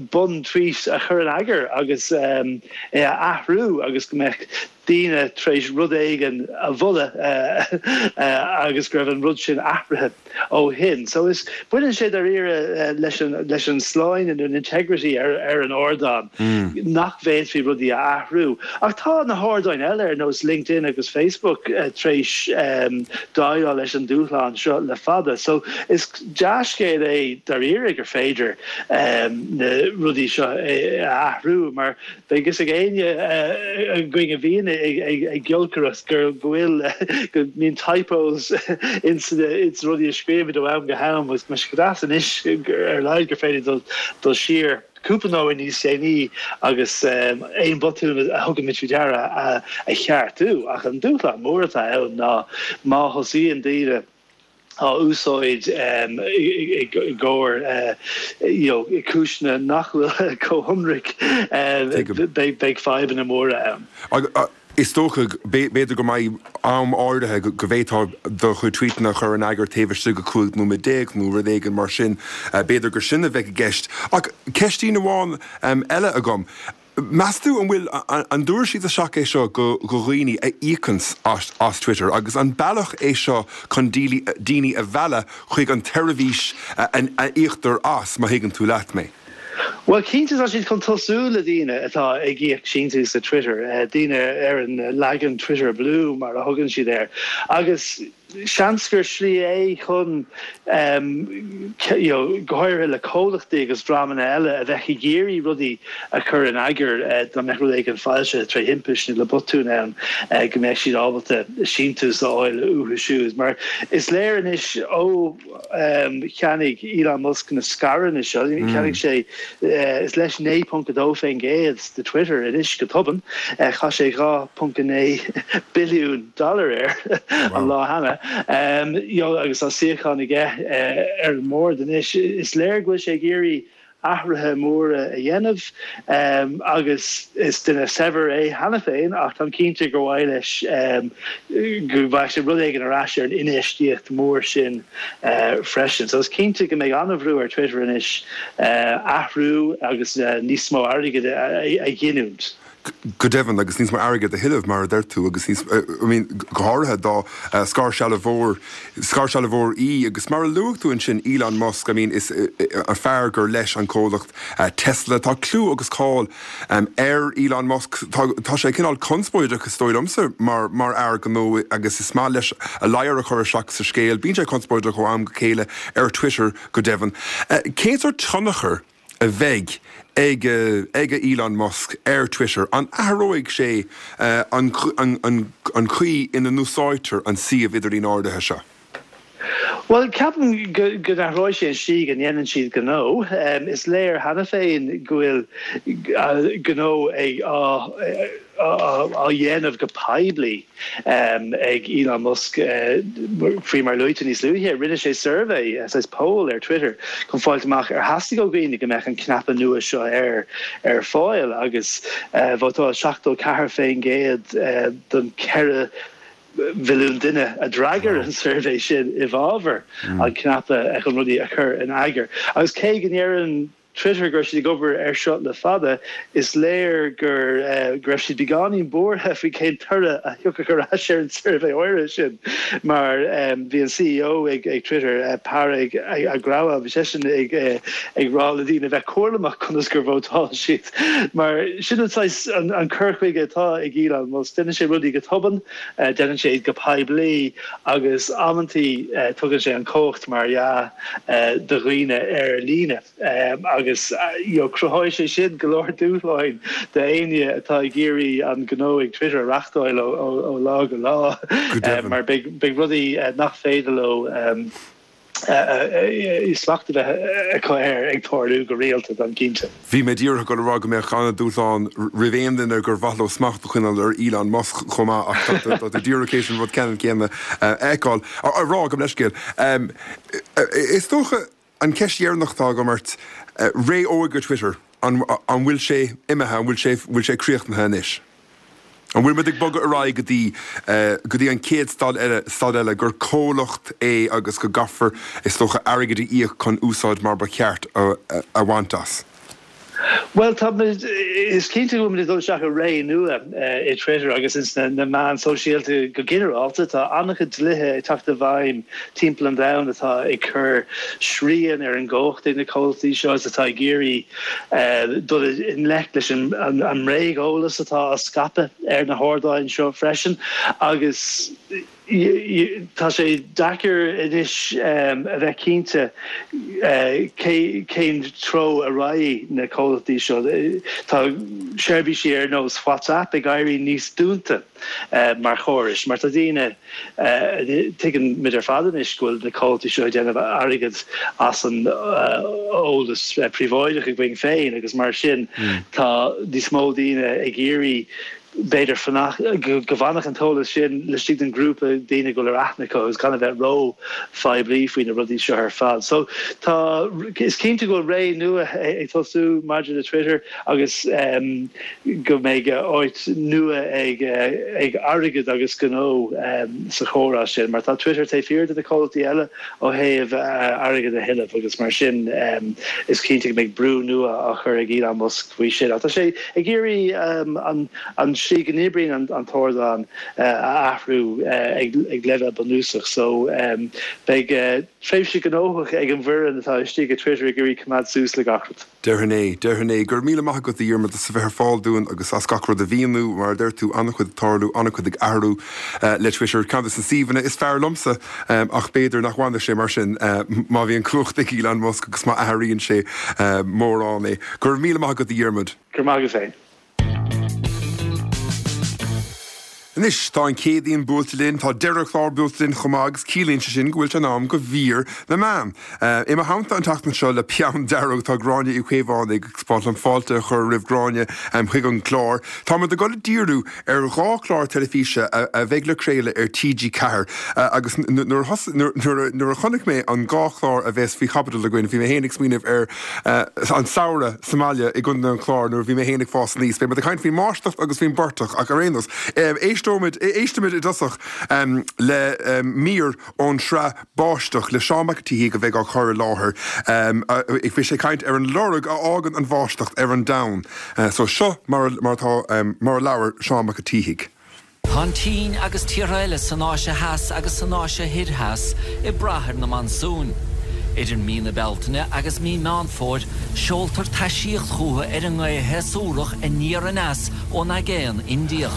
bun-tweet a chur in eagar agus é a athrú agus go mbeadh daoine tar éis rud éigin a mholadh agus go raibh an rud sin athraithe ó shin. So is, baineann sé dáiríre leis an, leis an sláine nó an integrity ar, ar an ardán, nach bhféadfaí rudaí a athrú. Ach tá na hardáin eile ar nós LinkedIn agus Facebook tar éis déileáil leis an dúshlán seo le fada. So is dea-scéal é dáiríre gur féidir na rudaí seo a athrú mar beidh fhios ag éinne againn a bhíonn ag giolcaireacht go bhfuil, go mbíonn typos ins na rudaí a scríobhaimid ó am go ham agus tá sé go deas anois ar a laghad gur féidir dul siar. cúpla nóiméad níos déanaí agus aon bhotún a thugaimid faoi deara a cheartú. Ach an dúshlán mór atá ann ná má thosaíonn daoine á úsáid i gcomhair you know cúiseanna nach bhfuil chomh hionraic, beidh fadhbanna móra ann. Is dócha, b'fhéidir go mbeidh am áirithe go bhféadfá do chuid tweetanna a chur in eagar taobh istigh de 15 nóiméad nó rud éigin mar sin. B'fhéidir gur sin a bheidh i gceist. Ach ceistín amháin eile agam. Meas tú an bhfuil, an dtabharfaidh siad isteach é seo go dhaoine a íocanns as Twitter agus an bealach é seo chun daoine a mhealladh chuig an tseirbhís a íoctar as, má thuigeann tú leat mé? Bhuel, cinnte tá siad chun tosú le daoine atá ag íoc síntiús le Twitter, daoine ar an leagan Twitter Blue mar a thugann siad air, agus seans gur slí é chun, you know, go háirithe le comhlachtaí agus dreamanna eile a bheadh ag iarraidh rudaí a chur in eagar dá mbeadh rud éigin foilsithe tré thimpist nó le botún ann, go mbeadh siad ábalta síntiús a fháil uathu siúd. Mar is léir anois ó. Cheannaigh Elon Musk na scaireanna seo, cheannaigh sé, is leis 9.2% de Twitter anois go tobann. Chaith sé 2.9 billiún dollar air an lá cheana. Agus tá suíochán aige ar an mbord anois. Is léir go bhfuil sé ag iarraidh athruithe móra a dhéanamh agus is duine saibhir é cheana féin ach táim cinnte gur mhaith leis go bhfaigheadh sé rud éigin ar ais ar an infheistíocht mhór sin freisin. So is cinnte go mbeidh an-bhrú ar Twitter anois athrú agus níos mó airgid a ghiniúint. Go deimhin, agus níos mó airgid a thuilleamh, mar a deir tú, agus níos, I mean, go háirithe dá scairshealbhóir, scairshealbhóir í, agus mar a luaigh tú ansin, Elon Musk, I mean, is an fear gur leis an comhlacht Tesla, tá clú agus cáil ar Elon Musk, tá, tá sé cineál conspóideach, is dóigh liomsa, mar, mar fhear gnó agus is maith leis a ladhar a chur isteach sa scéal, bíonn sé conspóideach ó am go chéile ar Twitter, go deimhin. Cén sórt tionchar a bheidh ag ag Elon Musk ar Twitter? An athróidh sé an an chaoi ina n-úsáidtear an suíomh idirlín áirithe seo? Bhuel, ceapaim go n-athróidh sé an tslí go ndéanann siad gnó. Is léir cheana féin go bhfuil gnó ag á á dhéanamh go poiblí ag Elon Musk faoi mar luaite níos luaithe. Rinne sé suirbhé, saghas poll ar Twitter chun fáilt amach ar theastaigh ó dhaoine go mbeadh an cnaipe nua seo ar ar fáil agus vótáil 74% den 4 mhilliún duine a d'fhreagair an suirbhé sin i bhfabhar an cnaipe chun rudaí a chur in eagar. Agus cé go ndeireann Twitter go raibh siad ag obair air seo le fada, is léir gur go raibh siad beagáinín buartha faoi cén toradh a thiocfadh ar ais ar an suirbhé áirithe sin mar bhí an CEO ag Twitter, Parag Agrawal, bhí seisean ag ag rá le daoine bheith cúramach conas gur vótáil siad mar sin an saghas an cur chuige atá ag Elon Musk, déanann sé rudaí go tobann, déanann sé iad go poiblí agus amantaí tugann sé an chumhacht mar dhea do dhaoine ar líne agus cruthóidh sé sin go leor dúshláin d'éinne atá ag iarraidh an gnó ag Twitter a reachtáil ó lá go lá mar beidh rudaí nach féidir leo smacht a bheith acu air ag tarlú go rialta, táim cinnte. Bhí mé díreach ag dul a rá go mbeadh an-dúshlán roimh aon duine gur mhaith leo smacht a choinneáil ar Elon Musk chomh maith ach tá tú díreach théis an rud ceannann céanna a fheiceáil, a rá gabh mo leithscéal. Is dócha an cheist dheireanach atá agam ort, ré óige Twitter, an bhfuil sé imithe, an bhfuil sé, bhfuil sé críochnaithe anois? An bhfuil muid ag bogadh ar aghaidh go dtí, go dtí an chéad staid eile, staid eile, gur comhlacht é agus go gcaithfear, is dócha, airgead a íoc chun úsáid mar ba cheart a bhaint as? Bhuel, tá muid, is cinnte go bhfuil muid ag dul isteach i ré nua i Twitter agus ins na meáin sóisialta go ginearálta. Tá an-chuid dlíthe ag teacht i bhfeidhm timpeall an domhain atá ag cur srian ar an gcumhacht ag na comhlachtaí seo agus atá ag iarraidh dul i ngleic leis an mbréageolas atá á scaipeadh ar na hardáin seo freisin agus Tá sé deacair anois a bheith cinnte cén treo a raghaidh na comhlachtaí seo. Tá seirbhísí ar nós WhatsApp ag éirí níos dúnta mar chórais mar tá daoine, tuigeann muid ar fad anois go bhfuil na comhlachtaí seo ag déanamh airgead as an eolas príobháideach againn féin agus mar sin tá níos mó daoine ag iarraidh b'fhéidir fanacht, go bhfanfadh an t-eolas sin laistigh den ghrúpa daoine go bhfuil ar aithne acu agus gan a bheith ró-phoiblí faoi na rudaí seo ar fad. So tá, is cinnte go bhfuil ré nua ag tosú maidir le Twitter agus go mbeidh áit nua ag ag airgead agus gnó sa chomhrá sin mar tá Twitter taobh thiar de na comhlachtaí eile ó thaobh airgead a thuilleamh agus mar sin is cinnte go mbeidh brú nua á chur ag Elon Musk faoi sin. Ach tá sé ag iarraidh an tslí go n-oibríonn an t-ardán a athrú ag leibhéal bunúsach so beidh tréimhse gnóthach ag an bhfoireann atá istigh i Twitter ag iarraidh coimeád suas le gach rud. Déarfainn é, déarfainn é. Go raibh míle maith agat, a Dhiarmaid, as a bheith ar fáil dúinn agus as gach rud a mhíniú. Mar a deir tú, an-chuid ag tarlú, an-chuid ag athrú le Twitter. Ceann de na suíomhanna is fearr liomsa, ach b'fhéidir nach bhfanfaidh sé mar sin má bhíonn cumhacht ag Elon Musk agus má athraíonn sé mórán é. Go raibh míle maith agat, a Dhiarmaid. Go raibh maith agat féin. Anois, tá an Chéadaoin buailte linn, tá deireadh an chláir buailte linn chomh maith agus ciallaíonn sé sin go bhfuil sé in am do mhír na meán. I mo theannta an tseachtain seo le peann dearg tá Gráinne Uí Chaomhánaigh agus ba mhaith liom fáilte a chur roimh Ghráinne chuig an gclár. Táimid ag dul ag díriú ar dhá chlár teilifíse a bheidh le craoladh ar TG4 agus nuair a chonaic mé an dhá chlár a bheas faoi chaibidil againn bhí mé féin ag smaoineamh ar an samhradh sa mbaile i gContae an Chláir nuair a bhí mé féin ag fás aníos. Beidh muid ag caint faoin mbáisteach agus faoin bportach ach ar aon nós, éist. Éisteoimid, éistfimid i dtosach le mír ón tsraith Báisteach le Seán Mac an tSíthigh a bheidh á chur i láthair. Beidh sé ag caint ar an lorg a fhágann an bháisteach ar an domhan. So seo mar atá, mar a labhair Seán Mac an tSíthigh. Tá an tSín agus tíortha eile san Áise Theas agus san Áise Thoir Theas ag brath ar na monsúin. Idir mí na Bealtaine agus mí Meán Fómhair, seoltar taisíocht chucu ar an ngaoth shéasúrach aniar aneas ón Aigéan Indiach.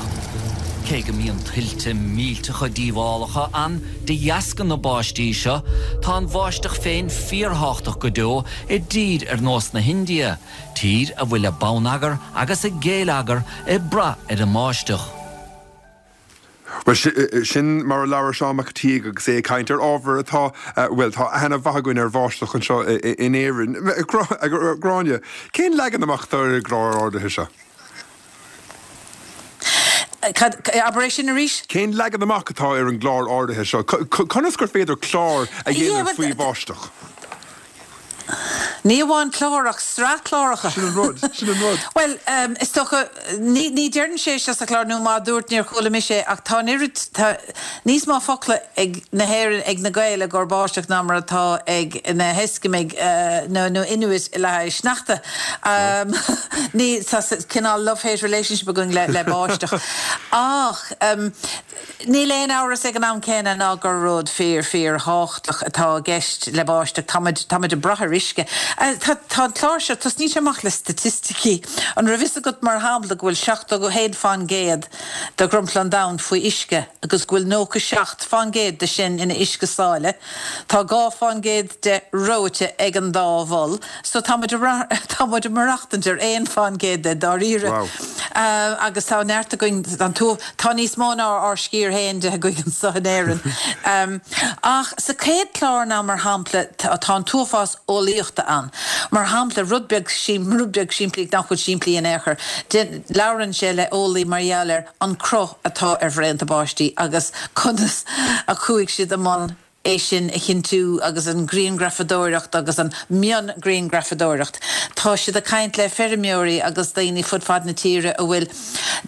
Cé go mbíonn tuilte millteacha díobhálacha ann de dheasca na báistí seo, tá an bháisteach féin fíorthábhachtach go deo i dtír ar nós na hIndia, tír a bhfuil a bonneagar agus a géilleagar ag brath ar an mbáisteach. Bhuel, sin mar a labhair Seán Mac an tSíthigh agus é ag caint ar ábhar atá, bhuel, tá aithne mhaith againn ar bháisteach anseo in Éirinn. Gráinne, cén leagan amach atá ar an gclár áirithe seo? Cad, abair é sin arís? Cén leagan amach atá ar an gclár áirithe seo? Conas gur féidir clár a dhéanamh faoi bháisteach? Ní amháin clár ach sraith cláracha. Sin an rud, sin an rud. Bhuel, is dócha, ní, ní deireann sé seo sa chlár, nó má dúirt níor chuala mise é, ach tá an oiread, tá níos mó focla ag na hÉireann, ag na Gaeil i gcomhair báisteach ná mar atá ag na hEiscimigh nó, nó Inuit le haghaidh sneachta. Ní, tá cineál love-hate relationship againn le, le báisteach. Ach, Níl aon amhras ag an am céanna ná gur rud fíor, fíor thábhachtach atá i gceist le báisteach. Táimid, táimid ag brath ar uisce. Tá, tá an clár seo, tosnaíonn sé amach le staitisticí. An raibh fhios agat, mar shampla, go bhfuil 71 fán gcéad de dhromchla an domhain faoi uisce agus go bhfuil 97 fán gcéad de sin ina uisce sáile? Tá 2 fán gcéad de reoite ag an dá mhol. So tá muid, tá muid ag maireachtaint ar 1 fán gcéad de, dáiríre. Wow. Agus tá neart againn, an t-, tá níos mó ná ár sciar féin de againn anseo in Éirinn. Ach sa chéad chlár now mar shampla, tá an t-uafás eolaíochta ann. Mar shampla, rud beag, rud beag simplí, nach bhfuil simplí in aon chor, labhrann sé le eolaí mar gheall ar an cruth atá ar bhraonta báistí agus conas a chuaigh siad i mbun é sin a chinntiú agus an grianghrafadóireacht agus an mion-ghrianghrafadóireacht. Tá siad ag caint le feirmeoirí agus daoine fud fad na tíre a bhfuil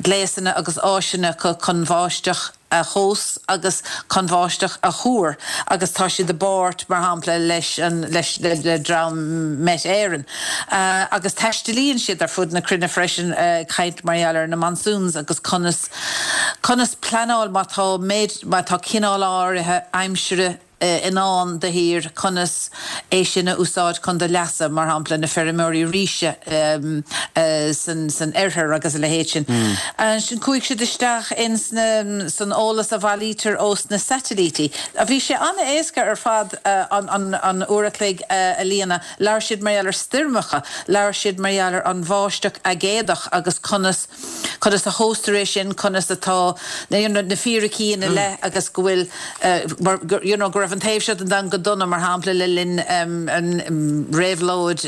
gléasanna agus áiseanna acu chun báisteach a thomhas agus chun báisteach a thuar agus tá siad i bpáirt, mar shampla, leis an, leis, le dream Met Éireann. Agus taistealaíonn siad ar fud na cruinne freisin ag caint mar gheall ar na monsoons agus conas, Conas pleanáil má tá méid, má tá cineál áirithe aimsire i ndán do thír, conas é sin a úsáid chun do leasa, mar shampla na feirmeoirí ríse san oirthear agus a leithéid sin. Ansin chuaigh siad isteach ins na, san eolas a bhailítear ós na satailítí. Bhí sé an-éasca ar fad an, an uair a chloig a líonadh. Labhair siad mar gheall ar stoirmeacha, labhair siad mar gheall ar an bháisteach aigéadach agus conas, conas a thomhastar é sin, conas atá you know na fíricí ina leith agus go bhfuil mar you know go raibh an taobh seo den domhan go dona mar shampla le linn an réabhlóid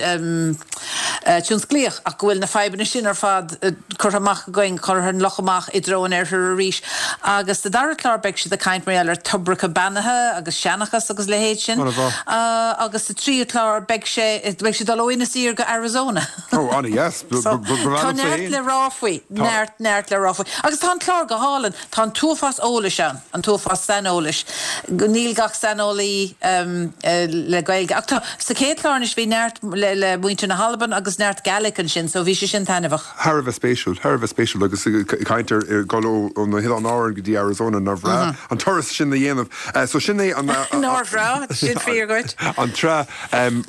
tionsclaíoch ach go bhfuil na fadhbanna sin ar fad curtha amach againn, curtha an luch amach i dtreo an oirthir arís. Agus sa dara clár beidh siad ag caint mar gheall ar toibreacha beannaithe agus seanchas agus leithéid sin. Agus sa tríú clár beidh sé, beidh siad ag dul ó Inis Oírr go Arizona. Ó, an-dheas. So, tá neart le rá faoi. Neart, neart le rá faoi. Agus tá an clár go hálainn. Tá an t-uafás eolais ann, an t-uafás saineolais. Níl gach saineolaí le Gaeilge. Ach tá, sa chéad chlár anois bhí neart le, le muintir na hAlban agus neart Gaelic ansin, so bhí sé sin taitneamhach. Thar a bheith spéisiúil, thar a bheith spéisiúil agus caint ar dhul ó, ó na hOileáin Árann go dtí Arizona, nár bhreá an turas sin a dhéanamh. So sin é an, Nár bhreá, sin fíor dhuit. an tsraith.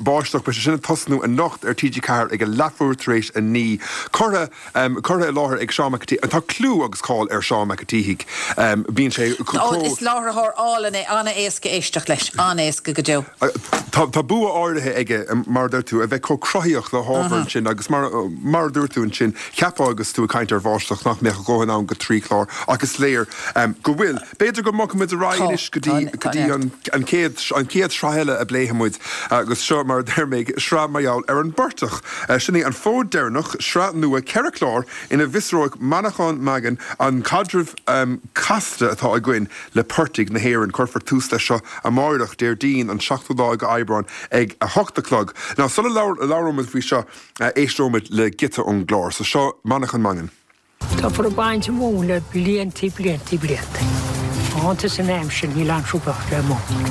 Báisteach, beidh sé sin ag tosnú anocht ar TG4 ag a leathuair tar éis 9. Curtha curtha i láthair ag Seán Mac an tSíthigh. Tá clú agus cáil ar Seán Mac an tSíthigh. Bíonn sé chomh. Is láithreoir álainn é, an-éasca éisteacht leis, an-éasca go deo. Tá tá bua áirithe aige, mar a deir tú, a bheith chomh cruthaíoch le hábhar ansin agus mar mar a dúirt tú ansin, cheapfá agus tú ag caint ar bháisteach nach mbeadh a dhóthain ann go 3 chlár ach is léir go bhfuil. B'fhéidir go mbogfaidh muid ar aghaidh anois go dtí go dtí an an chéad an chéad sraith eile a bpléifidh muid agus seo mar a deir mé sraith mar gheall ar an bportach. Sin é An Fód Deireanach, sraith nua 4 chlár ina bhfiosróidh Manchán Magan an caidreamh casta atá againn le portaigh na hÉireann. Cuirfear tús leis seo amáireach, Déardaoin an 7ú lá de Aibreán ag 8 a chlog. Now sula labhróimid faoi seo éisteoimid le giota ón gclár. So seo Manchán Magan. Táthar ag baint móin le bliantaí bliantaí bliantaí. Iontas an aimsir níl aon trúbach le móin.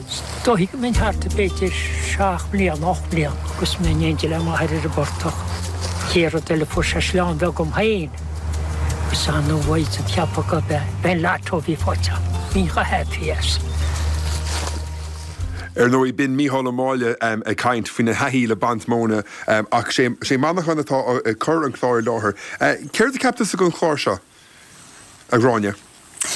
Is dóichí go mbeinn thart ar b'fhéidir seacht mbliana, 8 mbliana agus mé in éindí le m'athair ar an bportach. Chéad rud eile fuair sé sleán beag dom féin agus ana-mhaith den cheapadh gurb é an lotto a bhí faighte agam. Bhínn chomh happy as. Ar ndóigh, b'in Mícheál Ó Máille ag caint faoina thaithí le baint móna ach sé Manchán atá ag cur an chláir i láthair. Céard a cheap tusa den chlár seo, a Ghráinne?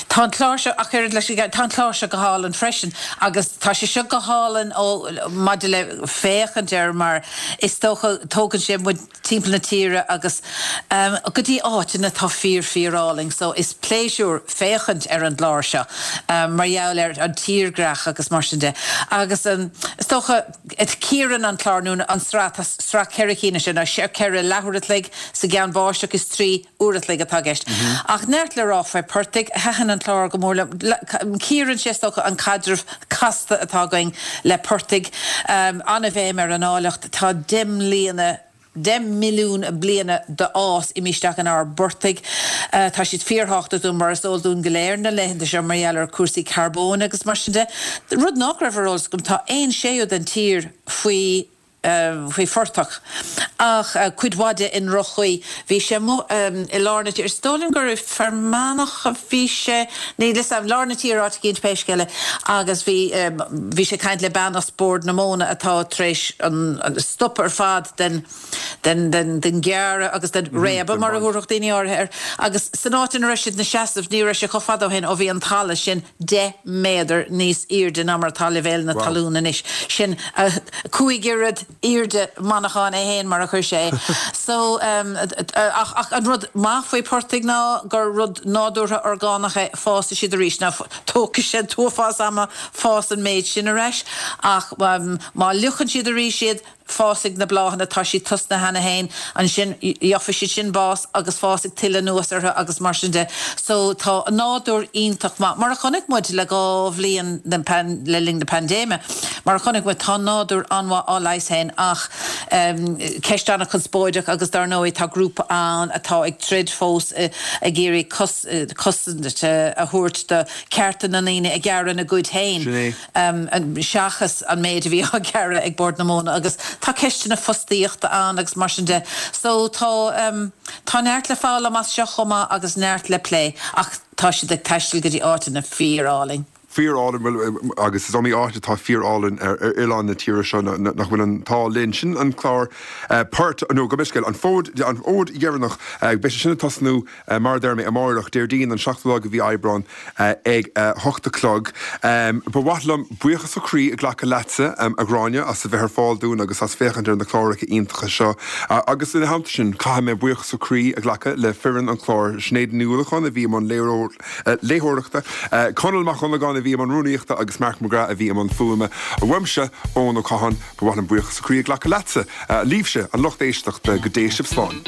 Tá an clár seo, ach oiread leis an, tá an clár seo go hálainn freisin agus tá sé seo go hálainn ó maidir le féachaint air mar is dócha tógann sé muid timpeall na tíre agus go dtí áiteanna atá fíor fíor álainn so is pléisiúr féachaint ar an gclár seo mar gheall ar an tírdhreach agus mar sin de agus is dócha cíorann an clár nó an sraith, tá sraith 4 cinn ansin, 4 leathuair a chloig sa gceann báisteach is 3 uair a chloig atá i gceist. Ach neart le rá faoi portaigh, thaitin an clár go mór liom. Cíorann sé is dócha an caidreamh casta atá againn le portaigh. An-bhéim ar an áilleacht. Tá 10 mbliana, 10 milliún bliana d'fhás imithe isteach inár bportaigh. Tá siad fíorthábhachtach dúinn, mar is eol dúinn go léir na laethanta seo mar gheall ar chúrsaí carbóin agus mar sin de. Rud nach raibh ar eolas agam, tá aon séú den tír faoi. faoi phortach, ach cuid mhaith de i ndroch-chaoi. Bhí sé amuigh i lár na tíre, is dóigh liom gur i Fear Manach a bhí sé, níl 'fhios a'm, lár na tíre áit eicínt pé scéal é, agus bhí, bhí sé ag caint le bean as Bord na Móna atá tar éis an stop ar fad den, den, den, den ghearradh agus den réabadh mar a thabharfadh daoine áirithe air, agus san áit ina raibh siad ina seasamh ní raibh sé chomh fada ó shin ó bhí an talamh sin 10 méadar níos airde ná mar atá leibhéal na talún anois. Sin 5 oiread airde Manchán é féin mar a chuir sé é. So, ach, ach an rud maith faoi portaigh ná gur rud nádúrtha orgánach é, fásfaidh siad arís. Now, tógfaidh sé an t-uafás ama fás an méid sin ar ais ach má fhliuchann siad arís iad, Fásfaidh na bláthanna, tá siad tosnaithe cheana féin, ansin gheobhaidh siad sin bás agus fásfaidh tuilleadh anuas orthu agus mar sin de. So tá an nádúr iontach maith. Mar a chonaic muid le 2 bhliain le linn na paindéime, mar a chonaic muid, tá an nádúr an-mhaith á leigheas féin ach ceist an-chonspóideach agus dar ndóigh tá grúpa ann atá ag troid fós ag iarraidh cosaint a thabhairt do chearta na ndaoine ag gearradh ina gcuid féin. Sin é. seachas an méid a bhí á ghearradh ag Bord na Móna agus tá ceisteanna fostaíochta ann agus mar sin de. So tá, tá neart le foghlaim as seo chomh maith agus neart le plé ach tá siad ag taisteal go dtí áiteanna fíor-álainn. Fíor-álainn, bhuel agus is iomaí áit atá fíor-álainn ar oileán na tíre seo nach bhfuil an t-ádh linn. Sin an clár Port, nó gabh mo leithscéal, an fód, an fhód dheireanach, beidh sé sin ag tosnú Mar a deir mé, amáireach, Déardaoin an 7ú lá de mhí Aibreán ag 8 a chlog. Ba mhaith liom buíochas ó chroí a ghlacadh leatsa, a Ghráinne, as a bheith ar fáil dúinn agus as féachaint ar na cláracha iontacha seo. Agus ina theannta sin, caithfidh mé buíochas ó chroí a ghlacadh le foireann an chláir, Sinéad Ní Uallacháin a bhí i mbun léitheoireachta, Conall Mac Dhonnagáin a bhí i mbun rúnaíochta agus Mark McGrath a bhí i mbun fuaime. Uaimse, Eoin Ó Catháin, ba mhaith liom buíochas ó chroí a ghlacadh leatsa, libhse, an lucht éisteachta. Go dté sibh slán.